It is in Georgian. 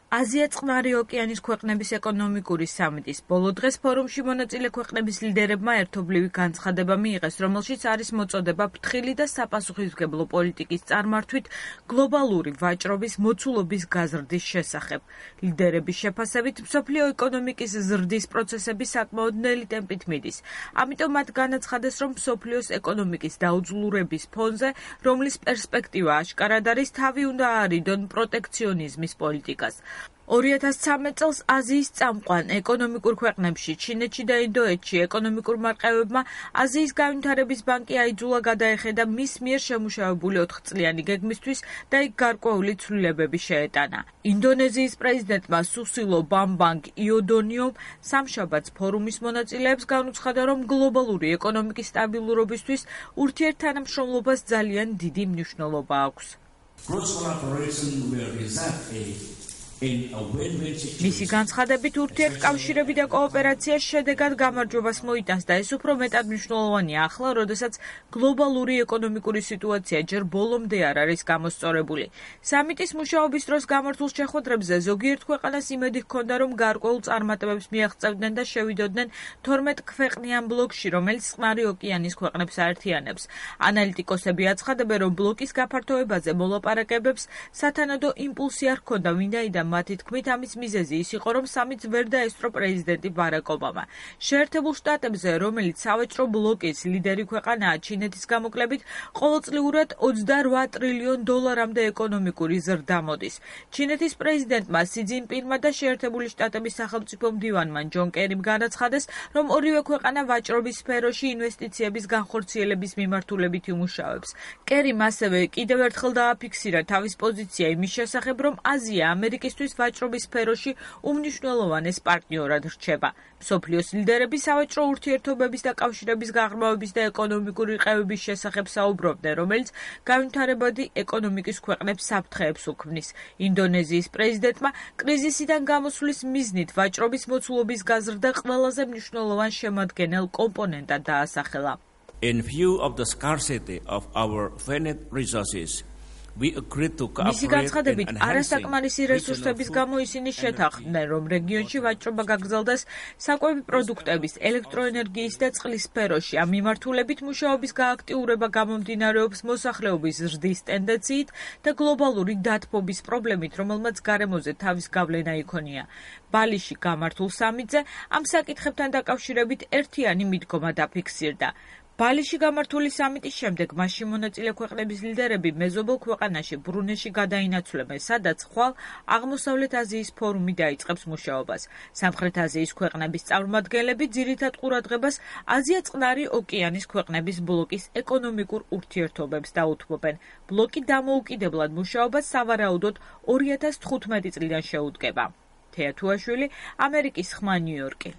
აზია-წყნარი ოკეანის ქვეყნების ეკონომიკური სამიტის ბოლო დღეს ფორუმში მონაწილე ქვეყნების ლიდერებმა ერთობლივი განცხადება მიიღეს, რომელშიც არის მოწოდება ფრთხილი და საპასუხისმგებლო პოლიტიკის წარმართვით გლობალური ვაჭრობის მოცულობის გაზრდის შესახებ. ლიდერების შეფასებით, მსოფლიო ეკონომიკის ზრდის პროცესები საკმაოდ ნელი ტემპით მიდის. ამიტომ მათ განაცხადეს, რომ მსოფლიოს ეკონომიკის დაუძლურების ფონზე, რომლის პერსპექტივა აშკარად არის, თავი უნდა აარიდონ პროტექციონიზმის პოლიტიკას. 2013 წელს აზიის წამყვან ეკონომიკურ ქვეყნებში, ჩინეთში და ინდოეთში ეკონომიკურ მარყევებმა აზიის განვითარების ბანკი აიძულა გადაეხედა მის მიერ შემუშავებული 4 წლიანი გეგმისთვის და იქ გარკვეული ცვლილებები შეეტანა. ინდონეზიის პრეზიდენტმა სუსილო ბამბანგ იოდონიომ სამშაბათს ფორუმის მონაწილეებს განუცხადა, რომ გლობალური ეკონომიკის სტაბილურობისთვის ურთიერთთანამშრომლობას ძალიან დიდი მნიშვნელობა აქვს. მისი განცხადებით, ურთიერთკავშირები და კოოპერაცია შედეგად გამარჯვებას მოიტანს და ეს უფრო მეტად მნიშვნელოვანია ახლა, როდესაც გლობალური ეკონომიკური სიტუაცია ჯერ ბოლომდე არ არის გამოსწორებული. სამიტის მუშაობის დროს გამართულ შეხვედრებზე ზოგიერთ ქვეყანას იმედი ჰქონდა, რომ გარკვეულ წარმატებებს მიაღწევდნენ და შევიდოდნენ 12 ქვეყნიან ბლოკში, რომელიც წყნარი ოკეანის ქვეყნებს აერთიანებს. ანალიტიკოსები აცხადებენ, რომ ბლოკის გაფართოებაზე მოლაპარაკებებს სათანადო იმპულსი არ ჰქონდა, ვინაიდან მათი თქმით, ამის მიზეზი ის იყო, რომ სამიტს ვერ დაესწრო პრეზიდენტი ბარაკ ობამა. შეერთებულ შტატებზე, რომელიც სავაჭრო ბლოკის ლიდერი ქვეყანაა, ჩინეთის გამოკლებით, ყოველწლიურად $28 ტრილიონამდე ეკონომიკური ზრდა მოდის. ჩინეთის პრეზიდენტმა სი ძინპინმა და შეერთებული შტატების სახელმწიფო მდივანმა ჯონ კერიმ განაცხადეს, რომ ორივე ქვეყანა ვაჭრობის სფეროში ინვესტიციების განხორციელების მიმართულებით იმუშავებს. კერიმ ასევე კიდევ ერთხელ დააფიქსირა თავის პოზიცია იმის შესახებ, რომ აზია ამერიკისთვის ვაჭრობის სფეროში უმნიშვნელოვანეს პარტნიორად რჩება. მსოფლიოს ლიდერები სავაჭრო ურთიერთობების და კავშირების გაღრმავების და ეკონომიკური ყევების შესახებ საუბრობდნენ, რომელიც განვითარებადი ეკონომიკის ქვეყნებს საფრთხეებს უქმნის. ინდონეზიის პრეზიდენტმა კრიზისიდან გამოსვლის მიზნით ვაჭრობის მოცულობის გაზრდა ყველაზე მნიშვნელოვან შემადგენელ კომპონენტად დაასახელა. In view of the scarcity of our finite resources, მისი განცხადებით, არასაკმარისი რესურსების გამო ისინი შეთანხმდნენ, რომ რეგიონში ვაჭრობა გაგრძელდეს საკვები პროდუქტების, ელექტროენერგიის და წყლის სფეროში. ამ მიმართულებით მუშაობის გააქტიურება გამომდინარეობს მოსახლეობის ზრდის ტენდენციით და გლობალური დათბობის პრობლემით, რომელმაც გარემოზე თავის გავლენა იქონია. ბალიში გამართულ სამიტზე ამ საკითხებთან დაკავშირებით ერთიანი მიდგომა დაფიქსირდა. ბალიში გამართული სამიტის შემდეგ მასში მონაწილე ქვეყნების ლიდერები მეზობელ ქვეყანაში ბრუნეში გადაინაცვლებენ, სადაც ხვალ აღმოსავლეთ აზიის ფორუმი დაიწყებს მუშაობას. სამხრეთ აზიის ქვეყნების წარმომადგენლები ძირითად ყურადღებას აზია-წყნარი ოკეანის ქვეყნების ბლოკის ეკონომიკურ ურთიერთობებს დაუთმობენ. ბლოკი დამოუკიდებლად მუშაობას სავარაუდოდ 2015 წლიდან შეუდგება. თეა თუაშვილი, ამერიკის ხმა, ნიუ-იორკი.